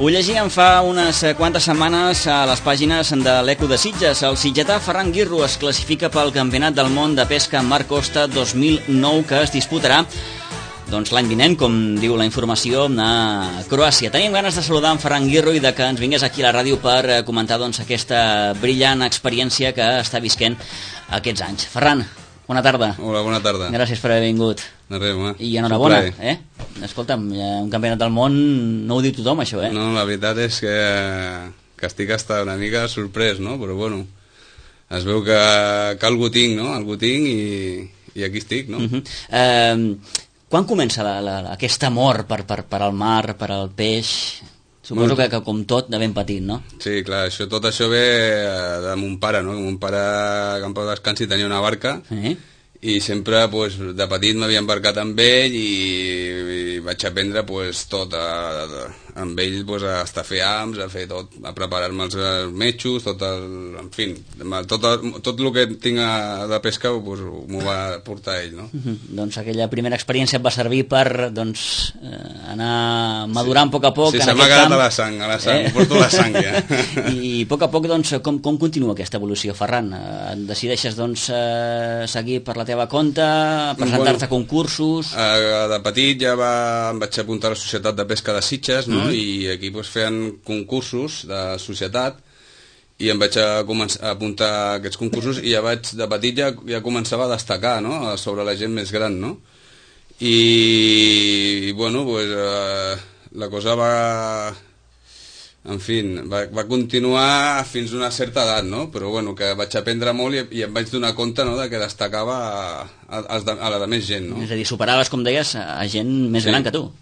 Ho llegíem fa unes quantes setmanes a les pàgines de l'Eco de Sitges. El sitgetà Ferran Guirro es classifica pel Campionat del Món de Pesca en Mar Costa 2009, que es disputarà l'any vinent, com diu la informació, a Croàcia. Tenim ganes de saludar en Ferran Guirro i de que ens vingués aquí a la ràdio per comentar aquesta brillant experiència que està visquent aquests anys. Ferran, bona tarda. Hola, bona tarda. Gràcies per haver vingut. De res, home. I enhorabona, Escolta'm, un campionat del món no ho diu tothom, això, No, la veritat és que estic hasta una mica sorprès, no? Però bueno, es veu que algú tinc, no? Algú tinc i aquí estic, no? Quan comença aquest amor per al mar, per al peix? Suposo que com tot, de ben petit, no? Sí, clar, tot això ve de mon pare, no? Que mon pare, que en pau descansi, tenia una barca i sempre, de petit m'havia embarcat amb ell i vaig aprendre tot amb ell, a estar a fer hams, a fer tot, a preparar-me els metxos, en fi, tot el que tinc de pesca m'ho va portar ell, no? Doncs aquella primera experiència et va servir per anar madurant a poc a poc. Sí, se m'ha quedat a la sang, ho porto a la sang ja. I a poc a poc, com continua aquesta evolució, Ferran? Decideixes seguir per la teva compte, presentar-te a concursos? De petit ja em vaig apuntar a la Societat de Pesca de Sitges, no? I aquí feien concursos de societat i em vaig apuntar a aquests concursos i de petit ja començava a destacar, no? Sobre la gent més gran, no? I bueno, la cosa va continuar fins a una certa edat, no? Però bueno, que vaig aprendre molt i em vaig donar compte, no?, de que destacava a la de més gent, no? És a dir, superaves, com deies, a gent més gran que tu.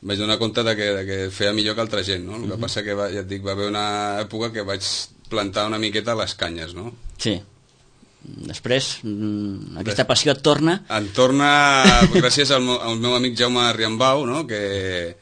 Vaig donar compte de que feia millor que altra gent, no? El que passa que, ja et dic, va haver una època que vaig plantar una miqueta les canyes, no? Sí. Després, aquesta passió et torna? Em torna gràcies al meu amic Jaume Riambau, no?, que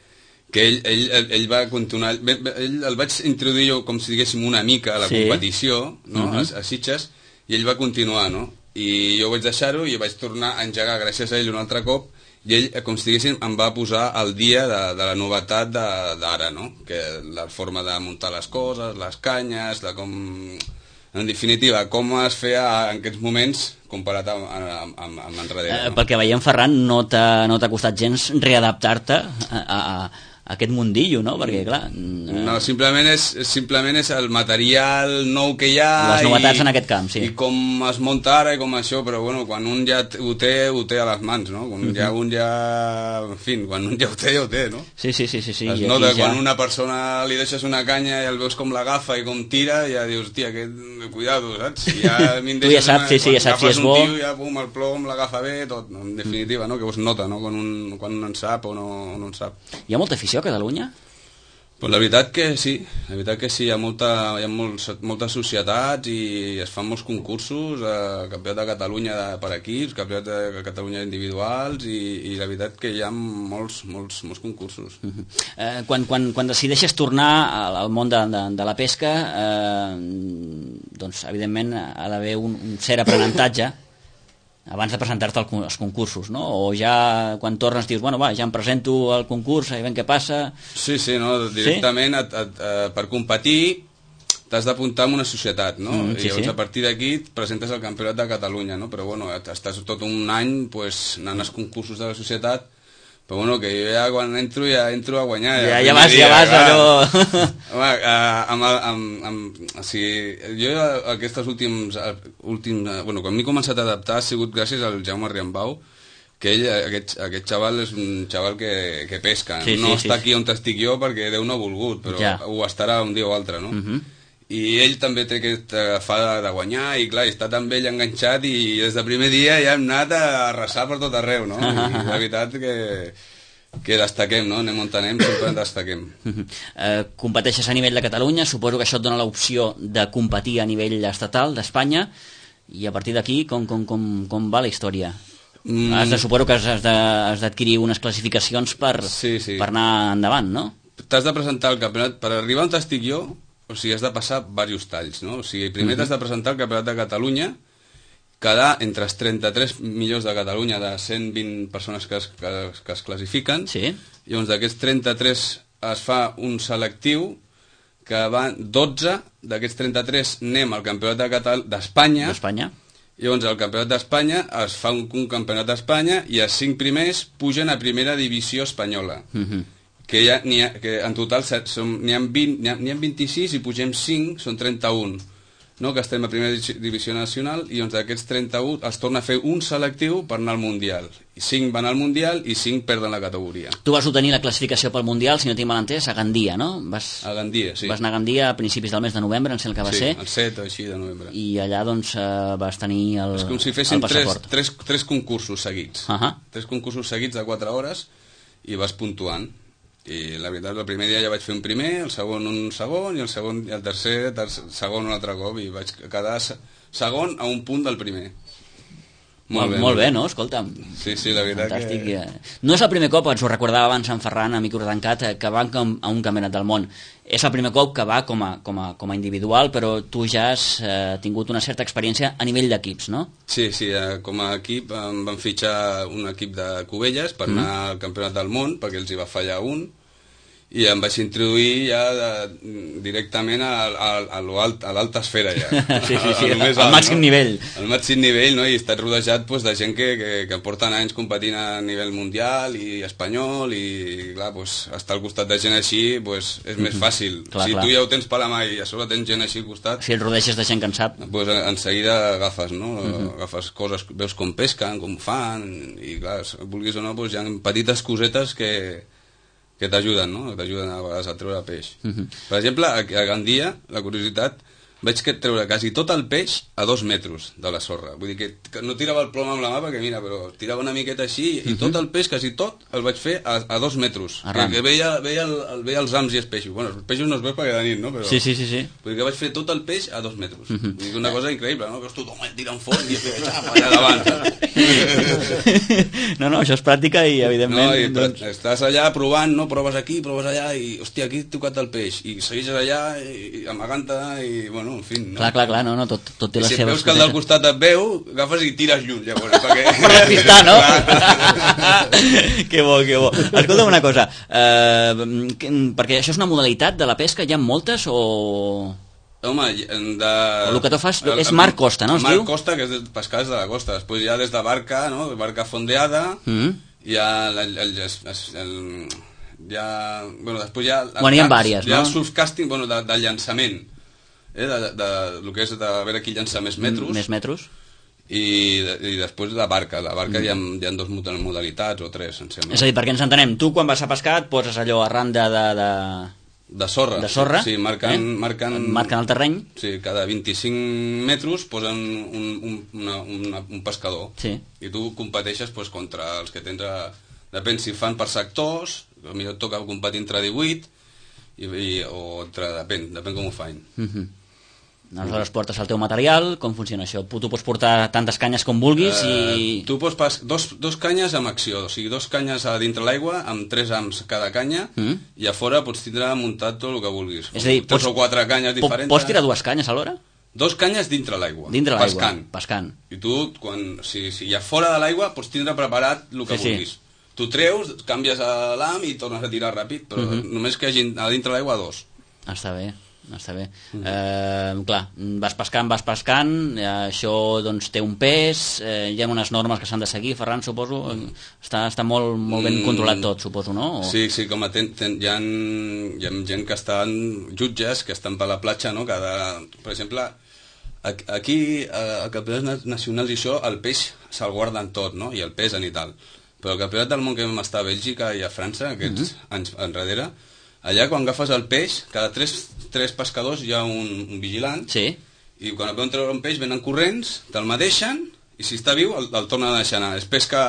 ell va continuar... El vaig introduir jo, com si diguéssim, una mica a la competició, no?, a Sitges, i ell va continuar, no? I jo vaig deixar-ho i vaig tornar a engegar gràcies a ell un altre cop, i ell, com si diguéssim, em va posar al dia de la novetat d'ara, no? Que la forma de muntar les coses, les canyes, en definitiva, com es feia en aquests moments comparat amb enrere. Pel que veiem, Ferran, no t'ha costat gens readaptar-te a aquest mundillo, no? Perquè, clar... No, simplement és el material nou que hi ha... Les novetats en aquest camp, sí. I com es munta ara i com això, però bueno, quan un ja ho té a les mans, no? Quan un ja... En fi, quan un ja ho té, no? Sí. Es nota quan una persona li deixes una canya i el veus com l'agafa i com tira, ja dius, tia, cuidado, saps? Tu ja saps si és bo... Un tio, ja pum, el plom, l'agafa bé, tot. En definitiva, no? Que es nota, no? Quan un en sap o no en sap. Hi ha molta afició a Catalunya? Pues la veritat que sí, hi ha moltes societats i es fan molts concursos, campionat de Catalunya per equips, campionat de Catalunya individuals i la veritat que hi ha molts concursos. Quan decideixes tornar al món de la pesca, doncs evidentment ha d'haver un cert aprenentatge abans de presentar-te als concursos, no? O ja quan tornes dius, bueno, va, ja em presento al concurs, i veiem què passa... Sí, no, directament per competir t'has d'apuntar en una societat, no? I llavors a partir d'aquí et presentes al Campionat de Catalunya, no? Però bueno, estàs tot un any anant als concursos de la societat, però bueno, que jo ja quan entro a guanyar. Ja vas allò... O sigui, jo aquestes últims... Bueno, quan m'he començat a adaptar ha sigut gràcies al Jaume Riambau, que ell, aquest xaval és un xaval que pesca. No està aquí on estic jo perquè Déu no ha volgut, però ho estarà un dia o altre, no? I ell també té aquesta fada de guanyar i clar, està tan ell enganxat i des del primer dia ja hem anat a arrasar per tot arreu, no? I la veritat que destaquem, no? Anem on anem, sempre destaquem. Competeixes a nivell de Catalunya, suposo que això et dona l'opció de competir a nivell estatal d'Espanya, i a partir d'aquí com va la història? Suposo que has d'adquirir unes classificacions per anar endavant, no? T'has de presentar al campionat, per arribar on estic jo, o sigui, has de passar diversos talls, no? O sigui, primer t'has de presentar al Campionat de Catalunya, quedar entre els 33 millors de Catalunya de 120 persones que es classifiquen, i llavors d'aquests 33 es fa un selectiu que van 12 d'aquests 33 anem al campionat d'Espanya. Llavors al campionat d'Espanya es fa un campionat d'Espanya i els 5 primers pugen a primera divisió espanyola. Que en total n'hi ha 26 i pugem 5, són 31. No, que estem a primera divisió nacional i doncs d'aquests 31 es torna a fer un selectiu per anar al Mundial. 5 van al Mundial i 5 perden la categoria. Tu vas obtenir la classificació pel Mundial, si no tinc mal entès, a Gandia, no? A Gandia, sí. Vas anar a Gandia a principis del mes de novembre, em sembla que va ser. Sí, el 7 així de novembre. I allà doncs vas tenir el passaport. És com si fessin 3 concursos seguits. 3 concursos seguits de 4 hores i vas puntuant. I la veritat, el primer dia ja vaig fer un primer, el segon un segon i el tercer segon un altre cop i vaig quedar segon a un punt del primer. Molt bé, no? Escolta'm. Sí, la veritat. Fantàstic. No és el primer cop, ens ho recordava abans en Ferran, amic Urdancat, que va a un campionat del món. És el primer cop que va com a individual, però tu ja has tingut una certa experiència a nivell d'equips, no? Sí, com a equip em van fitxar un equip de Cubelles per anar al campionat del món, perquè els hi va fallar un, i em vaig introduir ja directament a l'alta esfera ja. Sí, al màxim nivell. Al màxim nivell, no? I he estat rodejat de gent que porten anys competint a nivell mundial i espanyol i clar, estar al costat de gent així és més fàcil. Si tu ja ho tens per la mà i a sobre tens gent així al costat... Si et rodeges de gent que en sap. En seguida agafes, no? Agafes coses, veus com pesquen, com fan i clar, vulguis o no, hi ha petites cosetes que t'ajuden, no? Que t'ajuden a vegades a treure peix. Per exemple, a Gandia, la curiositat, vaig treure quasi tot el peix a 2 metres de la sorra. Vull dir que no tirava el plom amb la mà perquè mira, però tirava una miqueta així i tot el peix, quasi tot, el vaig fer a 2 metres. Que veia els ams i els peixos. Bueno, els peixos no els veus perquè de nit, no? Però, sí. Vull dir que vaig fer tot el peix a 2 metres. Vull dir que una cosa increïble, no? Que tothom tirant fort i allà davant. No, això és pràctica i evidentment... No, estàs allà provant, no? Proves aquí, proves allà i hòstia, aquí he tocat el peix i segueixes allà amagant-te i bueno, en fi, no? Clar, no, tot té les seves... Si veus que el del costat et veu, agafes i tires lluny, llavors, perquè... Per despistar, no? Que bo. Escolta'm una cosa, perquè això és una modalitat de la pesca, hi ha moltes o...? Home, el que tu fas és mar costa, no? Mar costa, que és pescar des de la costa, després hi ha des de barca, no? Barca fondeada, hi ha bueno, després hi ha... Bueno, hi ha vàries, no? Hi ha el surfcasting, bueno, de llançament, el que és de veure qui llança més metros. Més metros. I després la barca. La barca hi ha 2 modalitats o 3, em sembla. És a dir, perquè ens entenem, tu quan vas a pescar et poses allò arran de sorra. Sí, marquen el terreny. Sí, cada 25 metres posen un pescador. Sí. I tu competeixes contra els que tens... Depèn si fan per sectors, potser et toca competir entre 18 o entre... Depèn com ho fan. Aleshores portes el teu material, com funciona això? Tu pots portar tantes canyes com vulguis i... Tu pots dos canyes amb acció, o sigui, 2 canyes a dintre l'aigua amb 3 ams cada canya i a fora pots tindre muntat tot el que vulguis. És a dir, 3 o 4 canyes diferents. Pots tirar 2 canyes alhora? 2 canyes dintre l'aigua, pescant. I tu, si hi ha fora de l'aigua, pots tindre preparat el que vulguis. Tu treus, canvies l'am i tornes a tirar ràpid, però només que hagi a dintre l'aigua 2. Està bé. Clar, vas pescant, això doncs té un pes, hi ha unes normes que s'han de seguir, Ferran, suposo, està molt ben controlat tot, suposo, no? Sí, com hi ha gent que estan, jutges que estan per la platja, no? Per exemple, aquí a campionats nacionals i això, el peix se'l guarden tot, no? I el pesen i tal, però el campionat del món que vam estar a Bèlgica i a França aquests anys enrere, allà quan agafes el peix, cada 3 pescadors hi ha un vigilant, i quan et veuen treure un peix venen corrents, te'l mateixen, i si està viu el tornen a deixar anar. És pesca,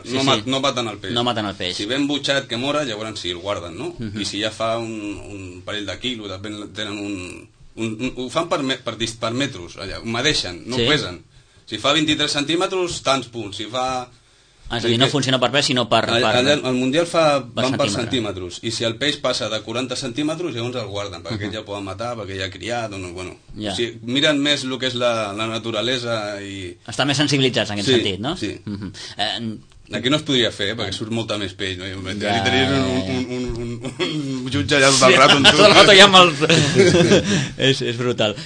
no maten el peix. No maten el peix. Si ben butxat que mora, llavors sí, el guarden, no? I si ja fa un parell de quilos, tenen ho fan per metres, allà, ho medeixen, no ho pesen. Si fa 23 centímetres, tants punts. Si fa... És a dir, no funciona per pes, sinó per... El Mundial van per centímetres, i si el peix passa de 40 centímetres, llavors el guarden, perquè ja poden matar, perquè ja ha criat, bueno... O sigui, miren més el que és la naturalesa i... Estan més sensibilitzats en aquest sentit, no? Sí. Aquí no es podria fer, perquè surt molta més peix, no? Tenies un jutge allà tot el rato amb tu. Tot el rato ja amb els... és brutal.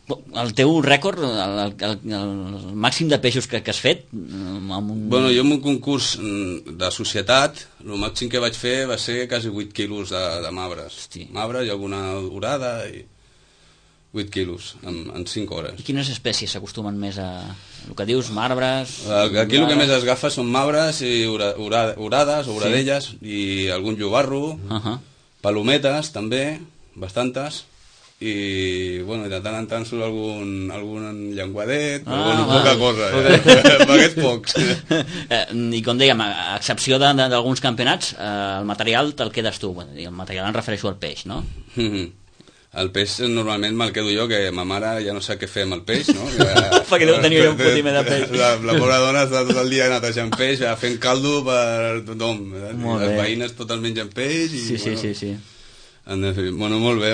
El teu rècord, el màxim de peixos que has fet? Bueno, jo en un concurs de societat, el màxim que vaig fer va ser quasi 8 quilos de mabres. Mabres i alguna orada i 8 quilos en 5 hores. I quines espècies s'acostumen més a... El que dius, marbres... Aquí el que més es agafa són mabres i orades o oradelles i algun llobarro, palometes també, bastantes, i bueno, de tant en tant surt algun llenguadet, però bueno, poca cosa, paguets pocs. I com dèiem, a excepció d'alguns campionats, el material te'l quedes tu. El material em refereixo al peix, no? El peix normalment me'l quedo jo, que ma mare ja no sap què fer amb el peix, no? Perquè deu tenir un fotimer de peix. La pobra dona està tot el dia netejant peix, fent caldo per tothom. Les veïnes tot el mengen peix. Sí. Bueno, molt bé.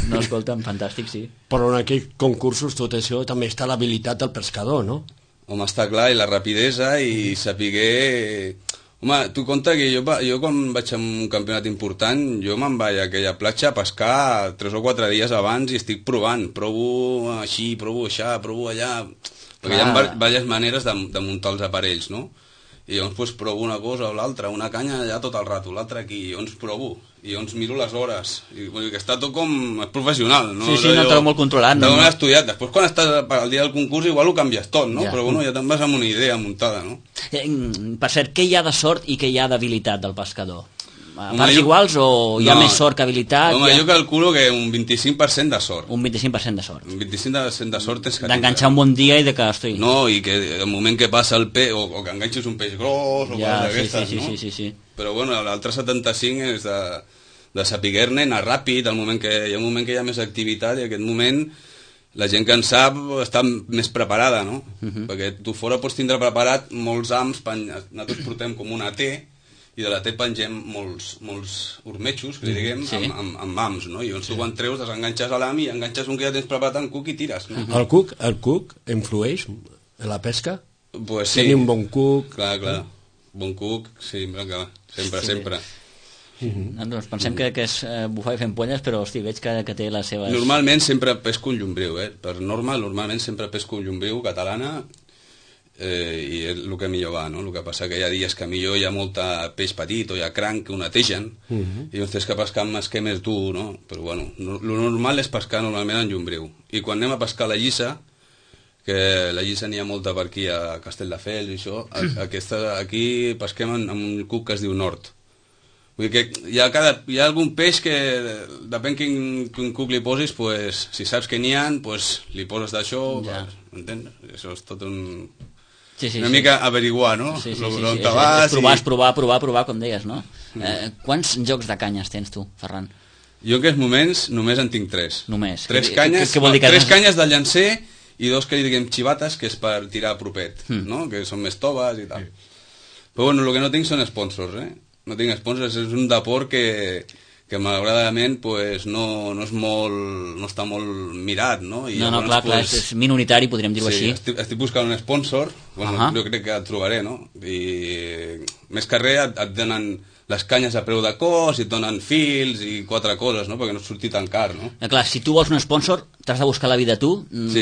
No, escolta'm, fantàstic, sí. Però en aquells concursos tot això també està l'habilitat del pescador, no? Home, està clar, i la rapidesa i sapiguer... Home, tu compta que jo quan vaig a un campionat important, jo me'n vaig a aquella platja a pescar 3 o 4 dies abans i estic provant. Provo així, provo allà, provo allà... Perquè hi ha diverses maneres de muntar els aparells, no? I llavors pues, provo una cosa o l'altra, una canya allà tot el rato, l'altra aquí, i llavors provo, i llavors miro les hores, i vull dir que està tot com professional, no? Sí, no t'ho molt controlat. No m'he estudiat, després quan estàs al dia del concurs igual ho canvies tot, no? Però bueno, ja te'n vas amb una idea muntada, no? Per cert, què hi ha de sort i què hi ha d'habilitat del pescador? A parts iguals o hi ha més sort que habilitat? Home, jo calculo que un 25% de sort. Un 25% de sort. Un 25% de sort és que... D'enganxar un bon dia i de que... Hosti... No, i que el moment que passa el peix, o que enganxis un peix gros, o coses d'aquestes, no? Sí. Però bueno, l'altre 75 és de saber-ne, anar ràpid, hi ha un moment que hi ha més activitat, i en aquest moment la gent que en sap està més preparada, no? Perquè tu fora pots tindre preparat molts hams, nosaltres portem com una T, i de la T pengem molts urmetxos, que li diguem, amb hams, no? I llavors tu quan treus desenganxes a l'ham i enganxes un que ja tens preparat en cuc i tires, no? El cuc influeix en la pesca? Pues sí. Tenir un bon cuc... Clar. Bon cuc, sí, sempre. Doncs pensem que és bufar i fent polles, però hosti, veig que té les seves... Normalment sempre pesco un llombriu, per norma, normalment sempre pesco un llombriu catalana, i és el que millor va, no? El que passa que hi ha dies que millor hi ha molta peix petit o hi ha cranc que ho netegen i llavors tens que pescar amb esquemes dur, no? Però bueno, el normal és pescar normalment en llombriu, i quan anem a pescar la llissa, que la llissa n'hi ha molta per aquí a Castelldefels i això, aquí pesquem amb un cuc que es diu nord. Vull dir que hi ha algun peix que depèn quin cuc li posis, pues, si saps que n'hi ha, pues, li poses d'això, entens? Això és tot una mica averiguar, no? On te vas... És provar, com deies, no? Quants jocs de canyes tens tu, Ferran? Jo en aquests moments només en tinc 3. Només? 3 canyes, què vol dir que 3 canyes de llancer i 2 que li diguem xivates, que és per tirar a propet, no? Que són més toves i tal. Però bueno, el que no tinc són sponsors, No tinc sponsors, és un deport que malauradament pues, no està molt mirat, no? I no, clar, és minoritari, podríem dir-ho així. Estic buscant un sponsor, bueno, jo crec que et trobaré, no? I més que res et donen les canyes a preu de cost, i et donen fils i 4 coses, no? Perquè no surti tan car, no? Clar, si tu vols un sponsor, t'has de buscar la vida tu,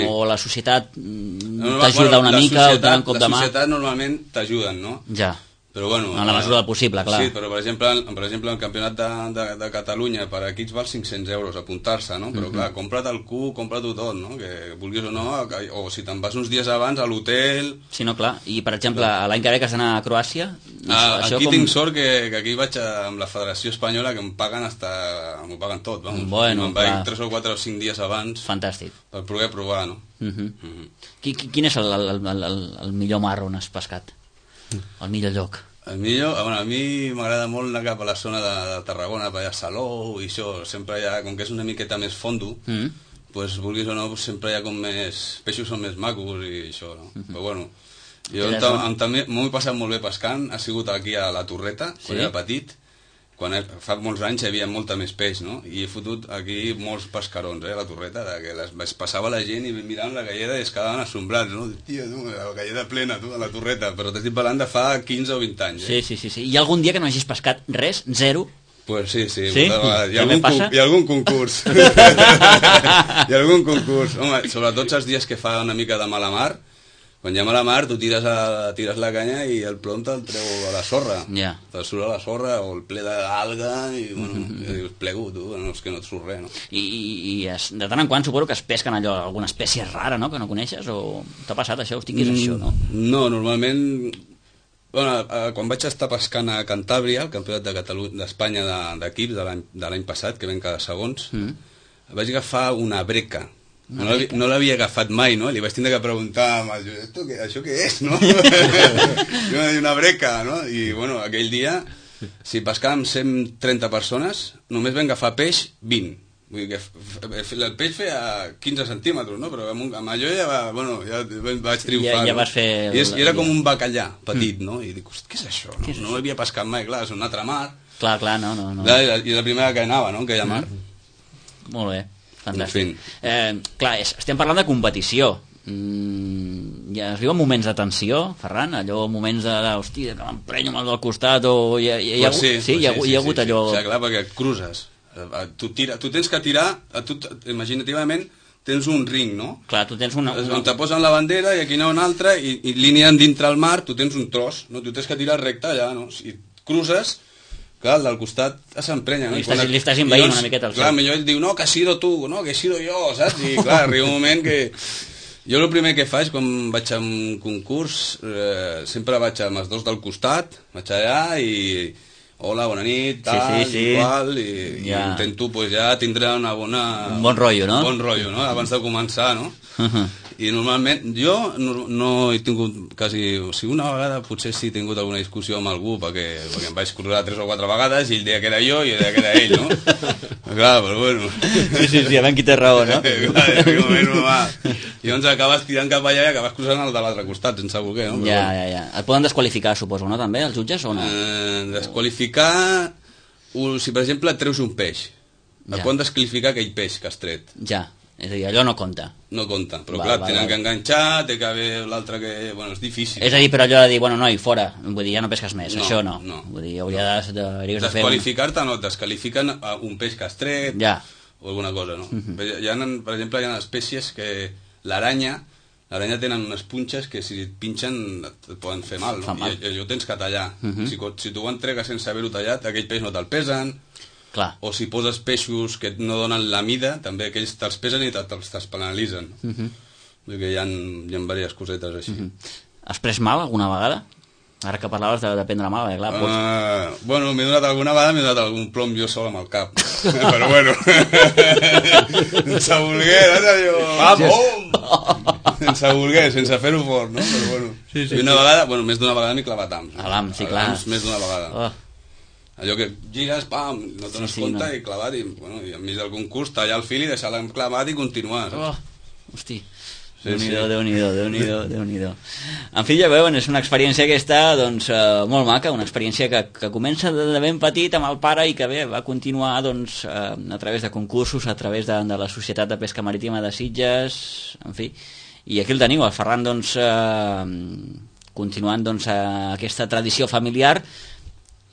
o la societat t'ajuda una mica, o te un cop de mà. La societat normalment t'ajuden, no? Ja. Però bueno, en la mesura del possible, clar. Sí, però per exemple el campionat de Catalunya per equips val 500 euros apuntar-se, no? Però clar, compra't el cuc, compra-t'ho tot, no? Que vulguis o no, o si te'n vas uns dies abans a l'hotel... Sí, no, clar. I per exemple, l'any que ve que has d'anar a Croàcia... Aquí tinc sort que aquí vaig amb la Federació Espanyola, que m'ho paguen tot, vamos. Bueno, me'n vaig 3 o 4 o 5 dies abans. Fantàstic. Per poder provar, no? Quin és el millor mar on has pescat? El millor lloc? El millor, bueno, a mi m'agrada molt anar cap a la zona de Tarragona, per allà a Salou i això, sempre hi ha, com que és una miqueta més fondo, pues, vulguis o no, pues, sempre hi ha com més... peixos són més macos i això, no? Però bueno, jo també m'ho he passat molt bé pescant, ha sigut aquí a la Torreta, quan era petit, fa molts anys hi havia molta més peix, no? I he fotut aquí molts pescarons, a la Torreta, que es passava la gent i miraven la galleda i es quedaven assombrats, no? Tia, tu, la galleda plena, tu, a la Torreta, però t'estic parlant de fa 15 o 20 anys, Sí. Hi ha algun dia que no hagis pescat res? Zero? Pues sí. Sí? Hi ha algun concurs. Hi ha algun concurs. Home, sobretot els dies que fa una mica de mala mar, quan hi ha mala mar, tu tires la canya i el plom te'l treu a la sorra. Ja. Te'l surt a la sorra o el ple d'alga i, bueno, dius, plego, tu, no, és que no et surt res, no? I de tant en quant suposo que es pesquen allò, alguna espècie rara, no?, que no coneixes, o t'ha passat això, hosti, què és això, no? No, normalment... Bueno, quan vaig estar pescant a Cantàbria, el campionat d'Espanya d'equips de l'any passat, que ven cada segons, vaig agafar una breca. No l'havia agafat mai, no? Li vaig tindre que preguntar a això què és, no? Una breca, no? I, bueno, aquell dia, si pescàvem 130 persones, només vam agafar peix 20. Vull dir que el peix feia 15 centímetres, no? Però amb allò ja vaig triomfar. Ja vas fer... I era com un bacallà petit, no? I dic, què és això? No l'havia pescat mai, clar, és una altra mar. Clar, no. I la primera que anava, no?, aquella mar. Molt bé. Fantàstic. Clar, estem parlant de competició. Ja es viuen moments de tensió, Ferran? Allò, moments de hòstia, que m'emprenyo mal del costat, o hi ha hagut allò... Sí, clar, perquè et cruces. Tu tens que tirar, imaginativament, tens un ring, no? Clar, tu tens una... On te posen la bandera i aquí n'hi ha una altra, i línia dintre el mar, tu tens un tros, no? Tu tens que tirar recte allà, no? Si cruces... Clar, el del costat s'emprenya, no? Li estàs envaint una miqueta el seu. Clar, millor ell diu, no, que ha sido tu, no, que he sido jo, saps? I clar, arriba un moment que... Jo el primer que faig quan vaig a un concurs, sempre vaig amb els dos del costat, vaig allà i... Hola, bona nit, tal, igual, i intento pues, ja tindre una bona... Un bon rotllo, no? Un bon rotllo, no? Abans de començar, no? I normalment jo no he tingut quasi... O sigui, una vegada potser sí he tingut alguna discussió amb algú perquè em vaig cruzar 3 o 4 vegades i ell deia que era jo i ell deia que era ell, no? Clar, però bueno... Sí, a veure qui té raó, no? Clar, en aquell moment no va. I llavors acabes tirant cap allà i acabes cruzant el de l'altre costat sense voler, no? Ja. Et poden desqualificar, suposo, no, també, els jutges, o no? Desqualificar... Si, per exemple, et treus un peix, et poden desqualificar aquell peix que has tret. Ja. És a dir, allò no compta. No compta, però clar, tenen que enganxar, té que haver l'altre que... Bueno, és difícil. És a dir, però allò de dir, bueno, noi, fora, vull dir, ja no pesques més, això no. Vull dir, hauria de fer... Desqualificar-te no, et desqualifiquen un peix que has tret, o alguna cosa, no? Per exemple, hi ha espècies que l'aranya tenen unes punxes que si et pinxen et poden fer mal, no? I allò tens que tallar. Si tu ho entregues sense haver-ho tallat, aquell peix no te'l pesen. Clar. O si poses peixos que no donen la mida, també aquells te'ls pesen i te'ls penalitzen. Vull dir que hi ha diverses cosetes així. Has pres mal alguna vegada? Ara que parlaves de prendre mal, clar. Bueno, m'he donat alguna vegada, m'he donat algun plom jo sol amb el cap. Però bueno, sense voler, sense voler, sense fer-ho fort, no? Però bueno, i una vegada, més d'una vegada m'he clavat hams. A l'ham, sí, clar. Més d'una vegada. Allò que gires, pam, no te n'escolta i clavat, i enmig del concurs tallar el fil i deixar l'enclavat i continuar. Hosti, Déu-n'hi-do. En fi, ja veuen, és una experiència aquesta doncs, molt maca, una experiència que comença de ben petit amb el pare i que bé, va continuar doncs, a través de concursos, a través de la Societat de Pesca Marítima de Sitges, en fi. I aquí el teniu, el Ferran, doncs, continuant doncs, aquesta tradició familiar.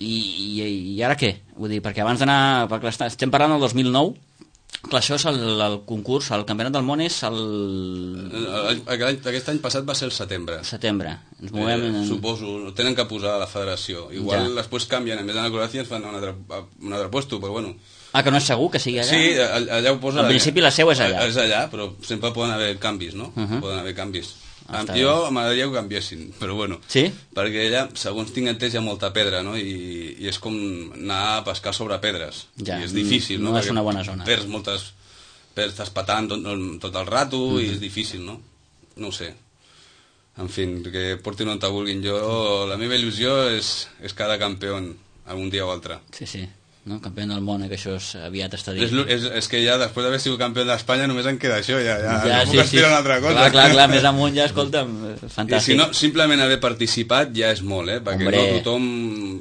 I ara què? Vull dir, perquè abans d'anar... Estem parlant del 2009, clar, això és el concurs, el Campionat del Món és el... Aquest any passat va ser el setembre. Setembre. Ens movem... Suposo, tenen que posar a la federació. Igual després canvien, en vez d'anar a Croàcia ens fan un altre puesto, però bueno... Que no és segur que sigui allà? Sí, allà ho posa... En principi la seu és allà. És allà, però sempre poden haver canvis, no? Poden haver canvis. Jo m'agradaria que ho canviessin, però bueno. Sí? Perquè allà, segons tinc entès, hi ha molta pedra, no? I és com anar a pescar sobre pedres. Ja, i és difícil, no? No és una bona zona. Estàs patant tot el rato i és difícil, no? No ho sé. En fi, que portin on te vulguin. La meva il·lusió és cada campió algun dia o altre. Sí. No? Campió del món, que això aviat està dit. És que ja després d'haver sigut campió d'Espanya només en queda això, ja no puc aspirar a una altra cosa. Clar, més amunt ja, escolta'm, fantàstic. I si no, simplement haver participat ja és molt, perquè no tothom...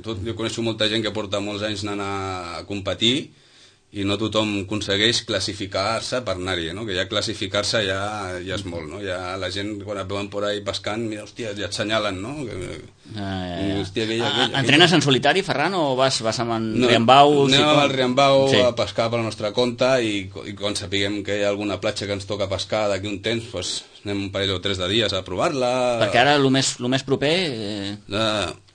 Jo coneixo molta gent que porta molts anys anant a competir i no tothom aconsegueix classificar-se per anar-hi, no? Que ja classificar-se ja és molt, no? Ja la gent, quan et veuen por ahí pescant, mira, hòstia, ja et senyalen, no? Hòstia, Entrenes en solitari, Ferran, o vas amb en Riambau? Anem amb el Riambau a pescar per la nostra compte i quan sapiguem que hi ha alguna platja que ens toca pescar d'aquí un temps, doncs anem un parell o 3 de dies a provar-la. Perquè ara el més proper...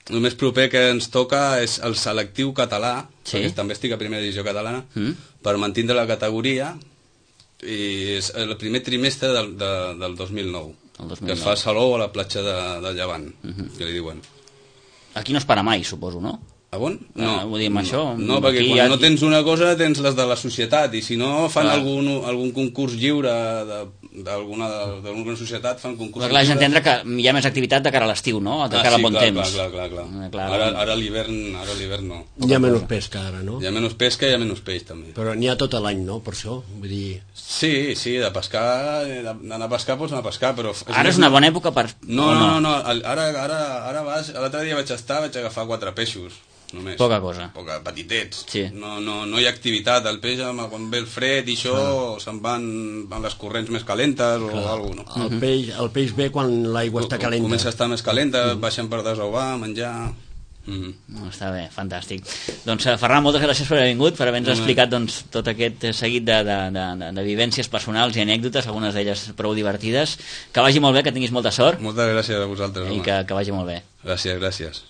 El més proper que ens toca és el selectiu català, perquè també estic a primera divisió catalana, per mantindre la categoria, i és el primer trimestre del 2009, que es fa a Salou, a la platja de Llevant, que li diuen. Aquí no es para mai, suposo, no? A on? No, vull dir, amb això... No, perquè quan no tens una cosa tens les de la societat, i si no fan algun concurs lliure d'alguna societat, fan concurs lliure. Clar, has d'entendre que hi ha més activitat de cara a l'estiu, no? De cara al bon temps. Clar. Ara a l'hivern no. Hi ha menys pesca ara, no? Hi ha menys pesca i hi ha menys peix, també. Però n'hi ha tot l'any, no? Per això, vull dir... Sí, de pescar, d'anar a pescar pots anar a pescar, però... Ara és una bona època per... No, ara vas... L'altre dia vaig agafar 4 peixos. Només. Poca cosa. Petitets. Sí. No hi ha activitat. El peix, quan ve el fred i això, se'n van les corrents més calentes o alguna cosa, no? El peix ve quan l'aigua està calenta. Comença a estar més calenta, baixen per desovar, menjar... No, està bé, fantàstic. Doncs Ferran, moltes gràcies per haver vingut, per haver-nos explicat tot aquest seguit de vivències personals i anècdotes, algunes d'elles prou divertides. Que vagi molt bé, que tinguis molta sort. Moltes gràcies a vosaltres, home. I que vagi molt bé. Gràcies.